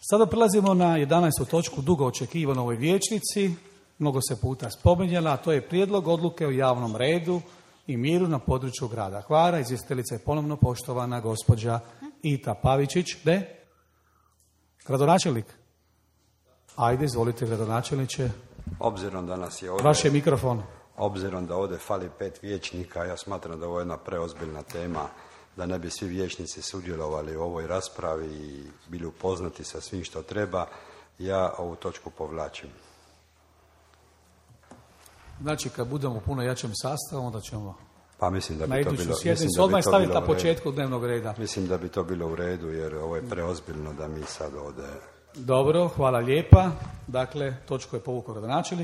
Sada prelazimo na 11. točku dugo očekivano ovoj vijećnici, mnogo se puta spominjala, a to je prijedlog odluke o javnom redu i miru na području grada Hvara. Izvjestiteljica je ponovno poštovana gospođa Ita Pavičić. Gradonačelnik? Ajde, izvolite gradonačelniče. Obzirom da nas je ovdje... Vaš je mikrofon. Obzirom da ovdje fali 5 vijećnika, ja smatram da ovo je jedna preozbiljna tema, da ne bi svi vijećnici sudjelovali u ovoj raspravi i bili upoznati sa svim što treba, ja ovu točku povlačim. Znači, kad budemo u puno jačem sastavu, onda ćemo pa mislim da na bi to iduću bilo, sjednicu odmah staviti na početku dnevnog reda. Mislim da bi to bilo u redu, jer ovo je preozbiljno da mi sad ovdje... Dobro, hvala lijepa. Dakle, točku je povukao gradonačelnik.